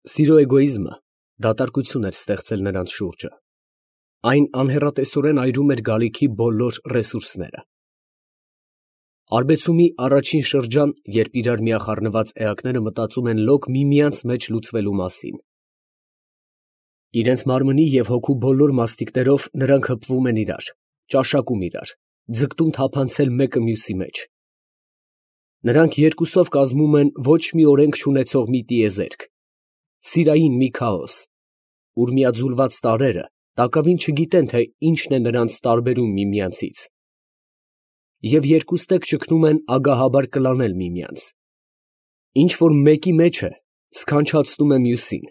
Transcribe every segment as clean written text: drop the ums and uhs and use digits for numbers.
Սիրո էգոիզմը դատարկություն էր ստեղծել նրանց շուրջը, այն անհեռատեսորեն այրում էր գալիքի բոլոր ռեսուրսները։ Արբեցումի առաջին շրջան, երբ իրար միախառնված էակները մտածում են լոկ միմյանց մեջ լուծվելու մասին։ Իրենց մարմնի և հոգու բոլոր մասնիկներով նրանք հպվում են իրար, ճաշակում իրար, ձգտում թափանցել մեկը մյուսի մեջ։ Նրանք երկուսով կազմում են ոչ մի օրենք չունեցող մի տիեզերք, սիրային մի քաոս, ուր միաձուլված տարրերը տակավին չգիտեն, թե ինչն է նրանց տարբերում միմյանցից, և երկուստեք ճգնում են ագահաբար կլանել միմյանց։ Ինչ որ մեկի մեջ է, սքանչացնում է մյուսին,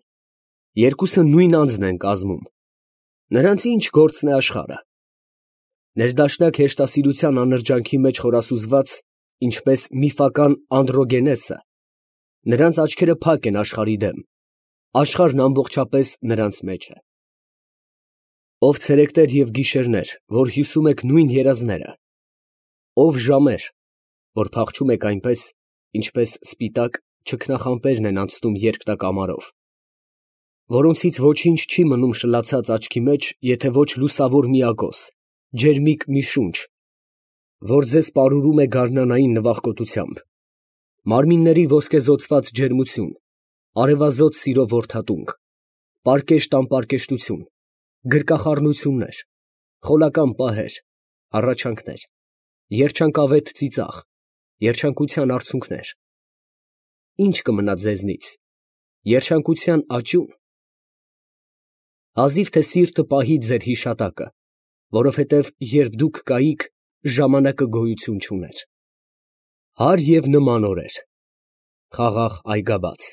երկուսը նույն անձն են կազմում, նրանց ինչ գործն է աշխարհը։ Ներդաշնակ հեշտասիրության անրջանքի մեջ խորասուզված, ինչպես միֆական Անդրոգենեսը, նրանց աչքերը փակ են աշխարհի դեմ, աշխարհն ամբողջապես նրանց մեջ է։ Ով ցերեկներ և գիշերներ, որ հյուսում եք նույն երազները, ով ժամեր, որ փախչում եք այնպես, ինչպես սպիտակ չքնախամպերն են անցնում երկնակ ամառով, որոնցից ոչինչ չի մնում շլացած աչքի մեջ, եթե ոչ լուսավոր մի ակոս, ջերմիկ մի շունչ, որ ձեզ պարուրում է գարնանային նվախկոտությամբ, մարմինների ոսկեզօծված ջերմություն, արևազոտ սիրո որդատունկ, պարկեշտ անպարկեշտություն, գրկախառնություններ, խոլական պահեր, հառաչանքներ, երջանկավետ ծիծաղ, երջանկության արցունքներ, ի՞նչ կմնա ձեզնից, երջանկության աճո՞ւն։ Հազիվ թե սիրտը պահի ձեր հիշատակը, որովհետև երբ դուք կայիք, ժամանակը գոյություն չուներ։ Հարկ և նման օրեր, խաղաղ այգաբաց։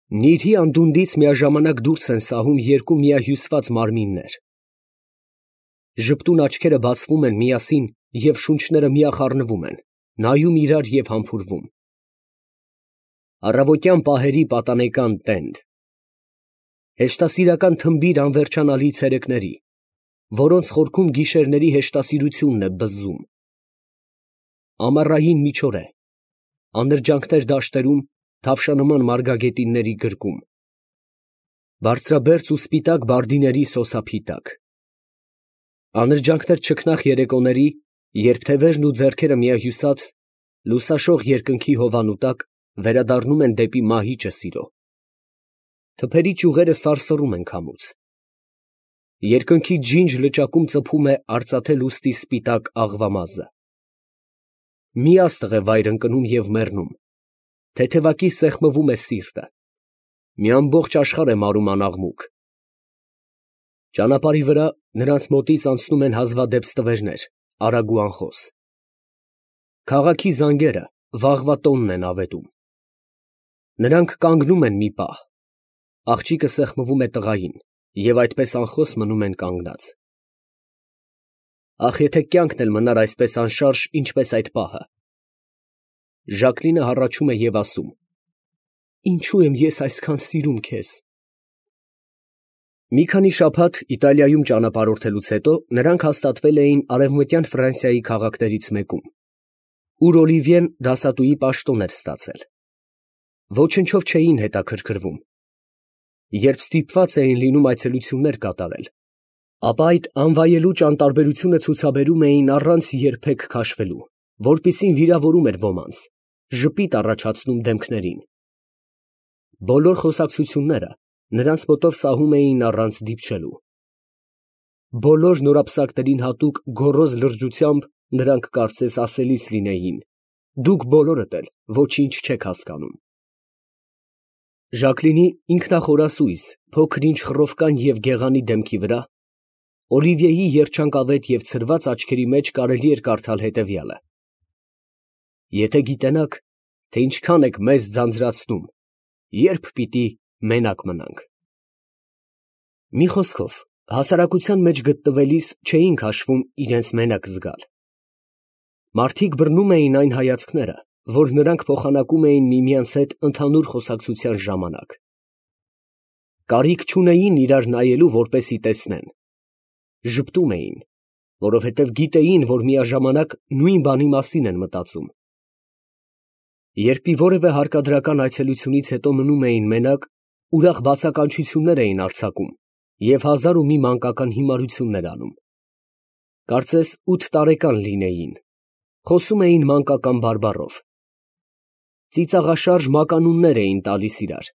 Նիրհի անդունդից միաժամանակ դուրս են սահում երկու միահյուսված մարմիններ։ Ժպտուն աչքերը բացվում են միասին և շունչները միախառնվում են, նայում իրար և համբուրվում։ Առավոտյան պահերի պատանեկան տենդ։ Հեշտասիրական թմբիր անվերջանալի ցերեկների, որոնց խորքում գիշերների հեշտասիրությունն է բզզում։ Ամառային միջօր է, անրջանքներ դաշտերում, թավշանման մարգագետինների գրկում, բարձրաբերձ ու սպիտակ բարդիների սոսափի տակ։ Անրջանքներ չքնաղ երեկոների, երբ թևերն ու ձեռքերը միահյուսած, լուսաշող երկնքի հովանու տակ վերադառնում են դեպի մահիճը սիրո։ Թփերի ճյուղերը սարսռում են քամուց։ Երկնքի ջինջ լճակում ծփում է արծաթե լուստի սպիտակ աղվամազը։ Մի աստղ է վայր ընկնում և մեռնում, թեթևակի սեղմվում է սիրտը, մի ամբողջ աշխարհ է մարում անաղմուկ։ Ճանապարհի վրա նրանց մոտից անցնում են հազվադեպ ստվերներ, արագ ու անխոս։ Քաղաքի զանգերը վաղվա տոնն են ավետում։ Նրանք կանգնում են մի պահ, աղջիկը սեղմվում է տղային, և այդպես անխոս մնում են կանգնած։ Ախ, եթե կյանքն էլ մնար այսպես անշարժ, ինչպես այդ պահը։ Ժակլինը հառաչում է և ասում. «Ինչո՞ւ եմ ես այսքան սիրում քեզ»։ Մի քանի շաբաթ Իտալիայում ճանապարհորդելուց հետո նրանք հաստատվել էին Արևմտյան Ֆրանսիայի քաղաքներից մեկում, ուր Օլիվիեն դասատուի պաշտոն էր ստացել։ Ոչնչով չէին հետաքրքրվում։ Երբ ստիպված էին լինում այցելություններ կատարել, ապա այդ անվայելուչ անտարբերությունը ցուցաբերում էին առանց երբեք քաշվելու, որպիսին վիրավորում էր ոմանց, ժպիտ առաջացնում դեմքներին։ Բոլոր խոսակցությունները նրանց մոտով սահում էին առանց դիպչելու։ Բոլոր նորապսակներին հատուկ գոռոզ լրջությամբ նրանք կարծես ասելիս լինեին. «Դուք բոլորդ էլ ոչինչ չեք հասկանում»։ Ժակլինի ինքնախորասույզ, փոքր-ինչ խռովկան և գեղանի դեմքի վրա Օլիվիեի երջանկավետ և ցրված աչքերի մեջ կարելի էր կարդալ հետևյալը. «Եթե գիտենաք, թե ինչքան եք մեզ ձանձրացնում, երբ պիտի մենակ մնանք»։ Մի խոսքով, հասարակության մեջ գտնվելիս չէին քաշվում իրենց մենակ զգալ։ Մարդիկ բռնում էին այն հայացքները, որ նրանք փոխանակում էին միմյանց հետ ընդհանուր խոսակցության ժամանակ։ Կարիք չունեին իրար նայելու, որպեսզի տեսնեն։ Ժպտում էին, որովհետև գիտեին, որ միաժամանակ նույն բանի մասին են մտածում։ Երբ մի որևէ հարկադրական այցելությունից հետո մնում էին մենակ, ուրախ բացականչություններ էին արձակում և հազար ու մի մանկական հիմարություններ անում։ Կարծես 8 տարեկան լինեին, խոսում էին մանկական բարբառով, ծիծաղաշարժ մականուններ էին տալիս իրար։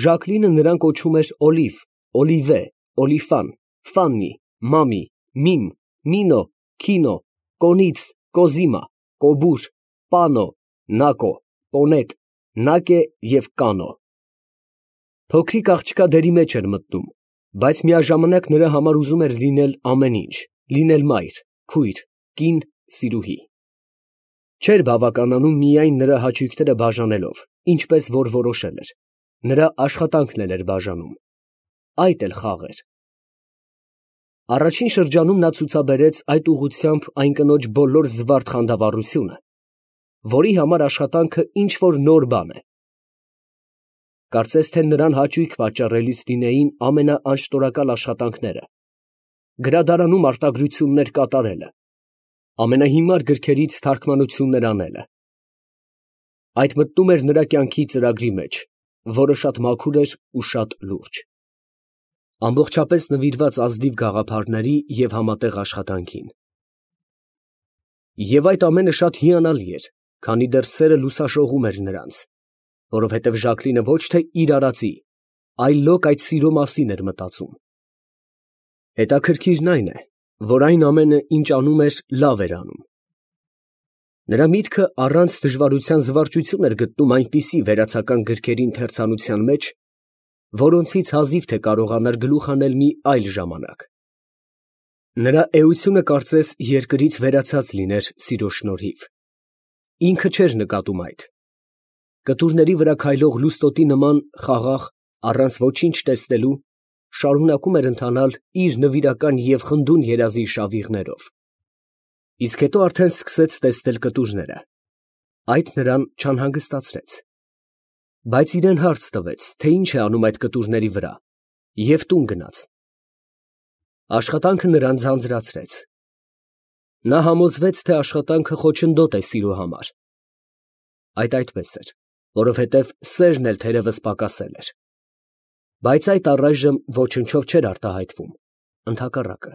Ժակլինը նրան կոչում էր Օլիվ, Օլիվե, Օլիֆան, Ֆաննի, Մամի, Միմ, Մինո, Քինո, Կոնից, Կոզիմա, Կոբուր, Պանո, Նակո, Պոնետ, Նակե և Կանո։ Փոքրիկ աղջկա դերի մեջ էր մտնում, բայց միաժամանակ նրա համար ուզում էր լինել ամեն ինչ, լինել մայր, քույր, կին, սիրուհի։ Չէր բավականանում միայն նրա հաճույքները բաժանելով, ինչպես որ որոշել էր, նրա աշխատանքն էլ էր բաժանում, այդ էլ խաղ էր։ Առաջին շրջանում նա ցուցաբերեց այդ ուղղությամբ այն կնոջ բոլոր զվարթ խանդավառությունը, որի համար աշխատանքը ինչ֊որ նոր բան է։ Կարծես թե նրան հաճույք պատճառելիս լինեին ամենաանշտորակալ աշխատանքները, գրադարանում արտագրություններ կատարելը, ամենահիմար գրքերից թարգմանություններ անելը։ Այդ մտնում էր նրա կյանքի ծրագրի մեջ, որը շատ մաքուր էր ու շատ լուրջ, ամբողջապես նվիրված ազնիվ գաղափարների և համատեղ աշխատանքին։ Եվ այդ ամենը շատ հիանալի էր, քանի դեռ սերը լուսաշողում էր նրանց, որովհետև Ժակլինը ոչ թե իր արածի, այլոք այդ սիրո մասին էր մտածում։ Հետաքրքիրն այն է, որ այն ամենը, ինչ անում էր, լավ էր անում։ Նրա միտքը առանց դժվարության զվարճություն էր գտնում այնպիսի վերացական գրքերի ընթերցանության մեջ, որոնցից հազիվ թե կարողանար գլուխ անել մի այլ ժամանակ։ Նրա էությունը կարծես երկրից վերացած լիներ սիրո շնորհիվ։ Ինքը չէր նկատում այդ։ Կտուրների վրա քայլող լուստոտի նման խաղաղ, առանց ոչինչ տեսնելու, շարունակում էր ընթանալ իր նվիրական և խնդուն երազի շավիղներով։ Իսկ հետո արդեն սկսեց տեսնել կտուրները։ Այդ նրան չանհանգստացրեց։ Բայց իրան հարց տվեց, թե ինչ է անում այդ կտուրների վրա, և տուն գնաց։ Աշխատանքը նրան ձանձրացրեց։ Նա համոզվեց, թե աշխատանքը խոչընդոտ է սիրո համար։ Այդ այդպես էր, որովհետև սերն էլ թերևս պակասել էր։ Բայց այդ առայժմ ոչնչով չէր արտահայտվում, ընդհակառակը,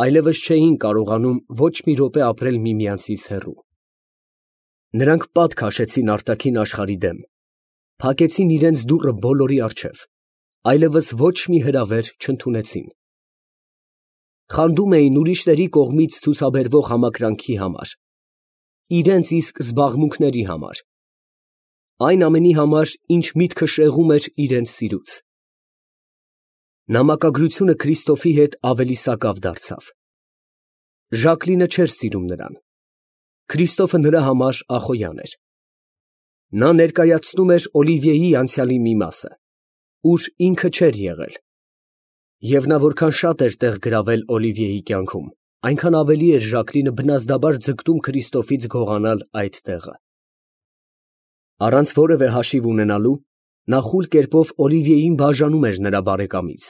այլևս չէին կարողանում ոչ մի րոպե ապրել միմյանցից հեռու։ Նրանք պատ քաշեցին արտաքին աշխարհի դեմ, փակեցին իրենց դուռը բոլորի առջև, այլևս ոչ մի հրավեր չընդունեցին։ Խանդում էին ուրիշների կողմից ցուցաբերվող համակրանքի համար, իրենց իսկ զբաղմունքների համար, այն ամենի համար, ինչ միտքը շեղում էր իրենց սիրուց։ Նամակագրությունը Քրիստոֆի հետ ավելի սակավ դարձավ։ Ժակլինը չէր սիրում նրան։ Քրիստոֆը նրա համար ախոյան էր։ Նա ներկայացնում էր Օլիվիեի անցյալի մի մասը, ուր ինքը չէր եղել, և նա որքան շատ էր տեղ գրավել Օլիվիեի կյանքում, այնքան ավելի էր Ժակլինը բնազդաբար ձգտում Քրիստոֆից գողանալ այդ տեղը։ Առանց որևէ հաշիվ ունենալու, նա խուլ կերպով Օլիվիեին բաժանում էր նրա բարեկամից,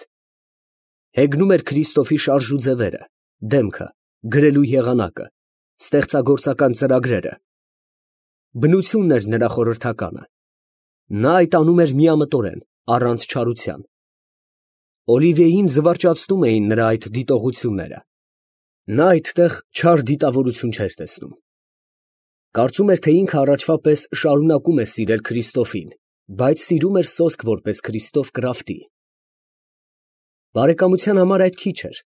հեգնում էր Քրիստոֆի շարժ ու ձևերը, դեմքը, գրելու եղանակը, ստեղծագործական ծրագրերը։ Բնությունն էր նրա խորհրդականը։ Նա այդ անում էր միամտորեն, առանց չարության։ Օլիվիեին զվարճացնում էին նրա այդ դիտողությունները։ Նա այդտեղ չար դիտավորություն չէր տեսնում։ Կարծում էր, թե ինքը առաջվա պես շարունակում է սիրել Քրիստոֆին, բայց սիրում էր սոսկ որպես Քրիստոֆ կրավտի։ Բարեկամության համար այդ քիչ էր։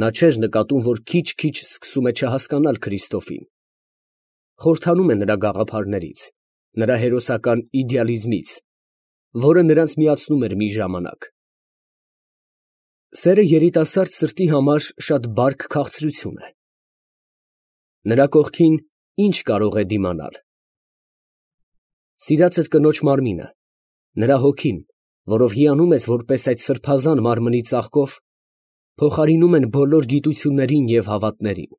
Նա չէր նկատում, որ քիչ-քիչ սկսում է չհասկանալ Քրիստոֆին։ Խորհրդանում է նրա գաղափարներից, նրա հերոսական իդեալիզմից, որը նրանց միացնում էր մի ժամանակ։ Սերը երիտասարդ սրտի համար շատ բարդ քաղցրություն է։ Նրա կողքին ի՞նչ կարող է դիմանալ։ Սիրածդ կնոջ մարմինը, նրա հոգին, որով հիանում ես որպես այդ սրբազան մարմնի ծաղկով, փոխարինում են բոլոր գիտություններին և հավատներին։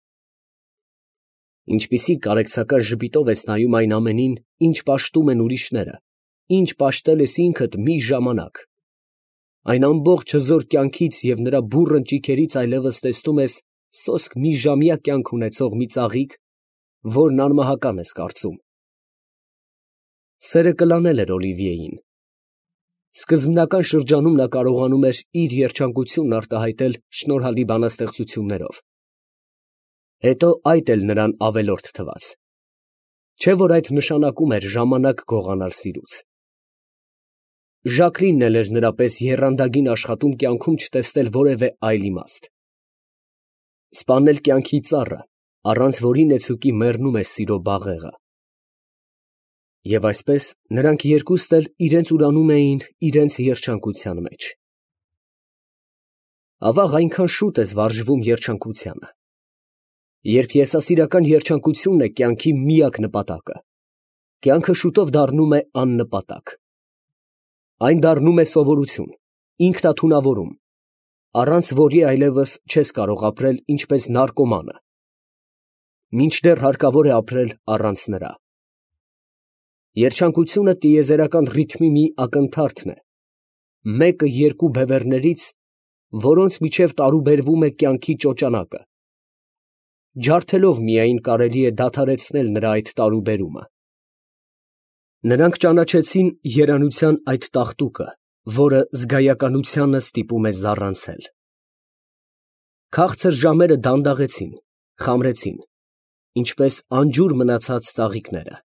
Ինչպիսի կարեկցական ժպիտով ես նայում այն ամենին, ինչ պաշտում են ուրիշները, ինչ պաշտել ես ինքդ մի ժամանակ։ Այն ամբողջ հզոր կյանքից և նրա բուռն ճիգերից այլևս տեսնում ես սոսկ մի ժամյա կյանք ունեցող մի ծաղիկ, որն անմահական ես կարծում։ Սերը կլանել էր Օլիվիեին։ Սկզբնական շրջանում նա կարողանում էր իր երջանկությունն արտահայտել շնորհալի բանաստեղծություններով։ Հետո այդ էլ նրան ավելորդ թվաց։ Չէ՞ որ այդ նշանակում էր ժամանակ գողանալ սիրուց։ Ժակլինն էլ էր նրա պես եռանդագին աշխատում կյանքում չտեսնել որևէ այլ իմաստ։ Սպանել կյանքի ծառը, առանց որի նեցուկի մեռնում է սիրո բաղեղը։ Եվ այսպես նրանք երկուստ էլ իրենց ուրանում էին իրենց երջանկության մեջ։ Ավաղ այնքան շուտ ես վարժվում երջանկությանը։ Երբ եսասիրական երջանկությունն է կյանքի միակ նպատակը, կյանքը շուտով դառնում է աննպատակ։ Այն դառնում է սովորություն, ինքնաթունավորում, առանց որի այլևս չես կարող ապրել ինչպես նարկոմանը, մինչդեռ հարկավոր է ապրել առանց նրա։ Երջանկությունը տիեզերական ռիթմի մի ակնթարթն է, մեկը երկու բևեռներից, որոնց միջև տարուբերվում է կյանքի ճոճանակը։ Ջարդելով միայն կարելի է դադարեցնել նրա այդ տարուբերումը։ Նրանք ճանաչեցին երանության այդ տաղտուկը, որը զգայականությանը ստիպում է զառանցել։ Քաղցր ժամերը դանդաղեցին, խամրեցին, ինչպես անջուր մնացած ծաղիկները։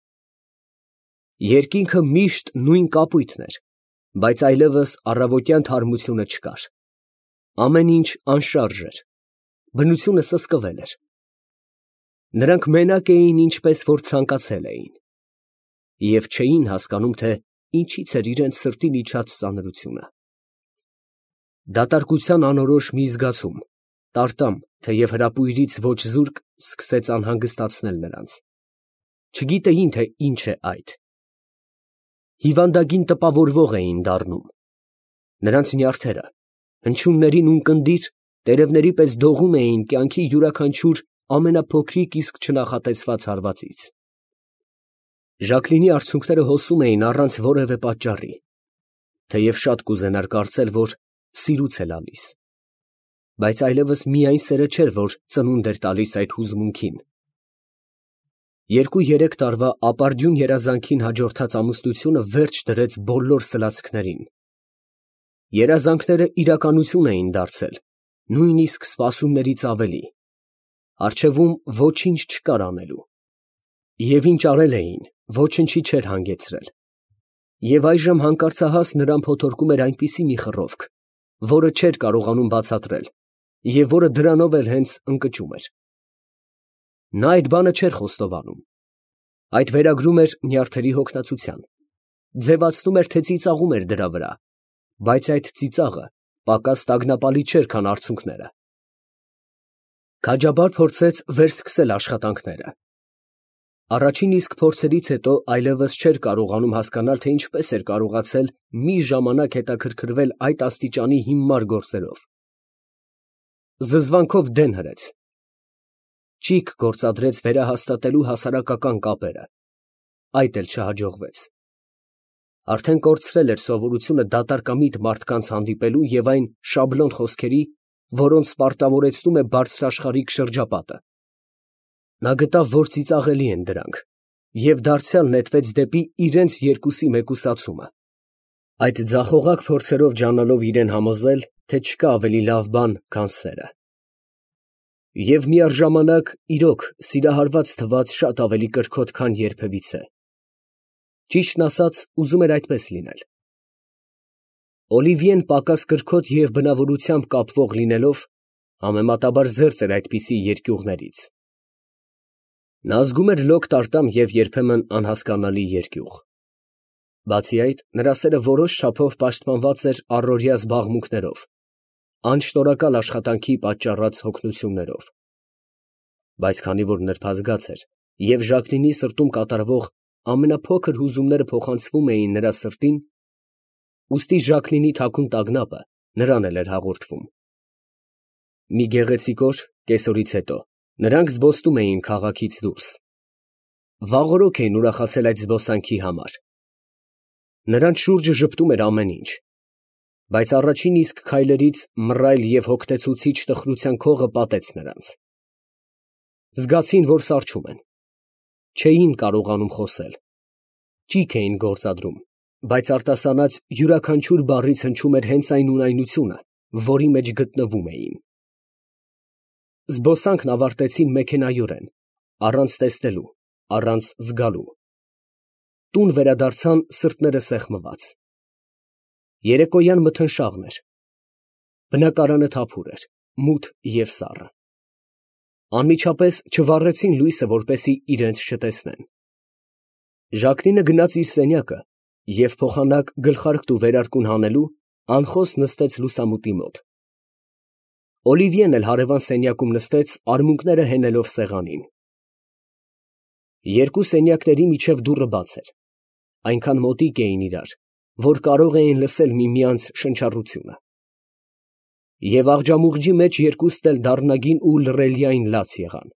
Երկինքը միշտ նույն կապույտն էր, բայց այլևս առավոտյան թարմությունը չկար։ Ամեն ինչ անշարժ էր, բնությունը սսկվել էր։ Նրանք մենակ էին, ինչպես որ ցանկացել էին, և չէին հասկանում, թե ինչից էր իրենց սրտին իջած ծանրությունը։ Դատարկության անորոշ մի զգացում, տարտամ, թեև հրապույրից ոչ զուրկ, սկսեց անհանգստացնել նրանց։ Չգիտեին, թե ինչ է այդ։ Հիվանդագին տպավորվող էին դառնում։ Նրանց նյարդերը, հնչյուններին ունկնդիր, տերևների պես դողում էին կյանքի յուրաքանչյուր ամենափոքրիկ իսկ չնախատեսված հարվածից։ Ժակլինի արցունքները հոսում էին առանց որևէ պատճառի, թեև շատ կուզենար կարծել, որ սիրուց է լալիս, բայց այլևս միայն սերը չէր, որ ծնունդ էր տալիս այդ հուզմունքին։ 2-3 տարվա ապարդյուն երազանքին հաջորդած ամուսնությունը վերջ դրեց բոլոր սլացքներին։ Երազանքները իրականություն էին դարձել, նույնիսկ սպասումներից ավելի։ Առջևում ոչինչ չկար անելու։ Եվ ինչ արել էին, ոչնչի չէր հանգեցրել։ Եվ այժմ հանկարծահաս նրան փոթորկում էր այնպիսի մի խռովք, որը չէր կարողանում բացատրել, և որը դրանով էլ հենց ընկճում էր։ Նա այդ բանը չէր խոստովանում։ Այդ վերագրում էր նյարդերի հոգնածության, ձևացնում էր, թե ծիծաղում էր դրա վրա, բայց այդ ծիծաղը պակաս տագնապալի չէր, քան արցունքները։ Քաջաբար փորձեց վերսկսել աշխատանքները։ Առաջին իսկ փորձերից հետո այլևս չէր կարողանում հասկանալ, թե ինչպես էր կարողացել մի ժամանակ հետաքրքրվել այդ աստիճանի հիմար գործերով։ Զզվանքով դեն հրեց։ Ճիգ գործադրեց վերահաստատելու հասարակական կապերը։ Այդ էլ չհաջողվեց։ Արդեն կորցրել էր սովորությունը դատարկամիտ մարդկանց հանդիպելու և այն շաբլոն խոսքերի, որոնց պարտավորեցնում է բարձրաշխարհիկ շրջապատը։ Նա գտավ, որ ծիծաղելի են դրանք, և դարձյալ նետվեց դեպի իրենց երկուսի մեկուսացումը։ Այդ ձախողակ փորձերով ջանալով իրեն համոզել, թե չկա ավելի լավ բան, քան սերը։ Եվ միառժամանակ, իրոք, սիրահարված թվաց շատ ավելի կրքոտ, քան երբևիցե։ Ճիշտն ասած, ուզում էր այդպես լինել։ Օլիվիեն պակաս կրքոտ և բնավորությամբ կապվող լինելով, համեմատաբար զերծ էր այդպիսի երկյուղներից։ Նա զգում էր լոկ տարտամ և երբեմն անհասկանալի երկյուղ։ Բացի այդ, նրա սերը որոշ չափով պաշտպանված էր առօրյա զբաղմունքներով, անշնորհակալ աշխատանքի պատճառած հոգնություններով։ Բայց քանի որ նրբազգաց էր և Ժակլինի սրտում կատարվող ամենափոքր հուզումները փոխանցվում էին նրա սրտին, ուստի Ժակլինի թաքուն տագնապը նրան էլ էր հաղորդվում։ Մի գեղեցիկ օր, կեսօրից հետո, նրանք զբոսնում էին քաղաքից դուրս։ Վաղօրոք էին ուրախացել այդ զբոսանքի համար։ Նրանց շուրջը ժպտում էր ամեն ինչ, բայց առաջին իսկ քայլերից մռայլ և հոգնեցուցիչ տխրության քողը պատեց նրանց։ Զգացին, որ սառչում են։ Չէին կարողանում խոսել։ Ճիգ էին գործադրում, բայց արտասանած յուրաքանչյուր բառից հնչում էր հենց այն ունայնությունը, որի մեջ գտնվում էին։ Զբոսանքն ավարտեցին մեքենայորեն, առանց տեսնելու, առանց զգալու։ Տուն վերադարձան սրտները սեղմված։ Երեկոյան մթնշաղն էր։ Բնակարանը թափուր էր, մութ և սառը։ Անմիջապես չվառեցին լույսը, որպեսզի իրենց չտեսնեն։ Ժակլինը գնաց իր սենյակը և փոխանակ գլխարկն ու վերարկուն հանելու, անխոս նստեց լուսամուտի մոտ։ Օլիվիեն էլ հարևան սենյակում նստեց, արմունկները հենելով սեղանին։ Երկու սենյակների միջև դուռը բաց էր, այնքան մոտիկ էին իրար, որ կարող էին լսել միմյանց շնչառությունը։ Եվ աղջամուղջի մեջ երկուստ էլ դառնագին ու լռելիային լաց եղան։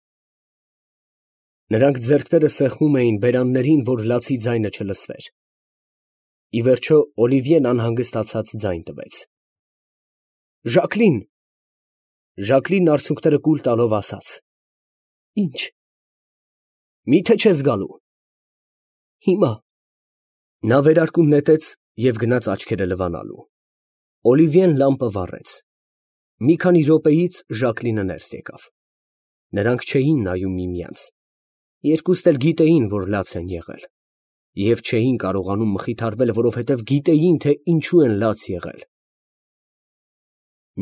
Նրանք ձեռքները սեղմում էին բերաններին, որ լացի ձայնը չլսվեր։ Ի վերջո Օլիվիեն անհանգստացած ձայն տվեց. «Ժակլին»։ Ժակլինն արցունքները կուլ տալով ասաց. «Ի՞նչ»։ «Մի՞թե չես գալու»։ «Հիմա»։ Նա վերարկուն նետեց և գնաց աչքերը լվանալու։ Օլիվիեն լամպը վառեց։ Մի քանի րոպեից Ժակլինը ներս եկավ։ Նրանք չէին նայում միմյանց։ Երկուստ էլ գիտեին, որ լաց են եղել, և չէին կարողանում մխիթարվել, որովհետև գիտեին, թե ինչու են լաց եղել։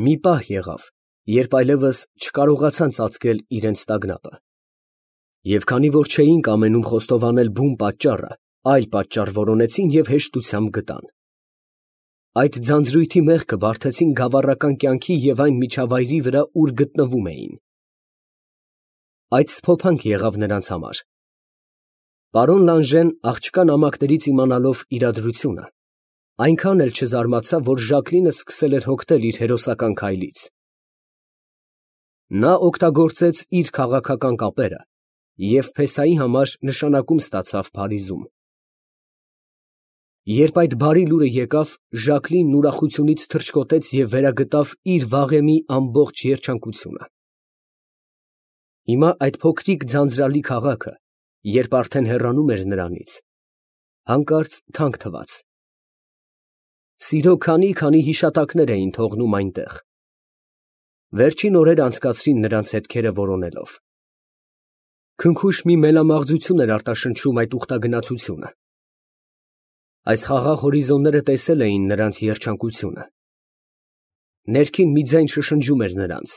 Մի պահ եղավ, երբ այլևս չկարողացան ծածկել իրենց տագնապը։ Եվ քանի որ չէին կամենում խոստովանել բուն պատճառը, այլ պատճառ որոնեցին և հեշտությամբ գտան։ Այդ ձանձրույթի մեղքը բարդեցին գավառական կյանքի և այն միջավայրի վրա, ուր գտնվում էին։ Այդ սփոփանք եղավ նրանց համար։ Պարոն Լանժեն, աղջկա նամակներից իմանալով իրադրությունը, այնքան էլ չզարմացավ, որ Ժակլինը սկսել էր հոգնել իր հերոսական քայլից։ Նա օգտագործեց իր քաղաքական կապերը և փեսայի համար նշանակում ստացավ Փարիզում։ Երբ այդ բարի լուրը եկավ, Ժակլինն ուրախությունից թռչկոտեց և վերագտավ իր վաղեմի ամբողջ երջանկությունը։ Հիմա այդ փոքրիկ ձանձրալի քաղաքը, երբ արդեն հեռանում էր նրանից, հանկարծ թանկ թվաց։ Սիրո քանի հիշատակներ էին թողնում այնտեղ։ Վերջին օրերը անցկացրին նրանց հետքերը որոնելով։ Քնքուշ մի մելամաղձություն էր արտաշնչում այդ ուխտագնացությունը։ Այս խաղաղ հորիզոնները տեսել էին նրանց երջանկությունը։ Ներքին մի ձայն շշնջում էր նրանց.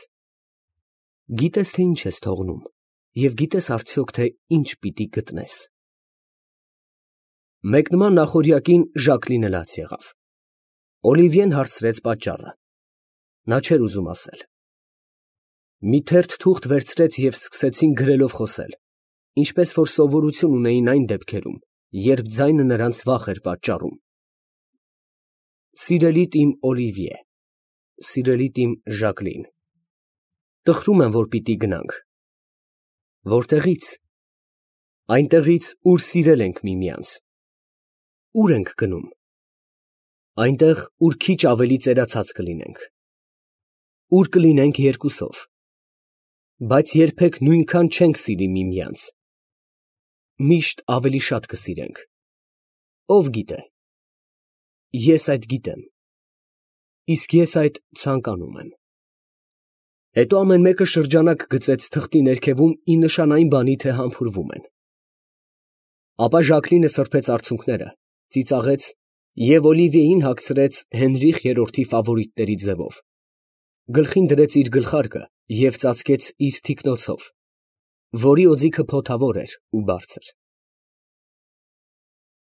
«Գիտես, թե ինչ ես թողնում, և գիտես արդյոք, թե ինչ պիտի գտնես»։ Մեկնման նախօրյակին Ժակլինը լաց եղավ։ Օլիվիեն հարցրեց պատճառը։ Նա չէր ուզում ասել։ Մի թերթ թուղթ վերցրեց և սկսեցին գրելով խոսել, ինչպես որ սովորություն ունեին այն դեպքերում, երբ ձայնը նրանց վախ էր պատճառում։ Սիրելիդ իմ Օլիվիե, սիրելիդ իմ Ժակլին, տխրում եմ, որ պիտի գնանք։ Որտեղի՞ց։ Այնտեղից, ուր սիրել ենք միմյանց։ Ո՞ւր ենք գնում։ Այնտեղ, ուր քիչ ավելի ծերացած կլինենք։ Ուր կլինենք երկուսով։ Բայց երբեք նույնքան չենք սիրի միմյանց։ Միշտ ավելի շատ կսիրենք։ Ով գիտե։ Ես այդ գիտեմ։ Իսկ ես այդ ցանկանում եմ։ Հետո ամեն մեկը շրջանակ գծեց թղթի ներքևում ի նշան այն բանի, թե համբուրվում են։ Ապա Ժակլինը սրբեց արցունքները, ծիծաղեց և Օլիվիեին հագցրեց Հենրիխ III ֆավորիտների ձևով, գլխին դրեց իր գլխարկը և ծածկեց իր թիկնոցով, որի օձիքը փոթավոր էր ու բարձր։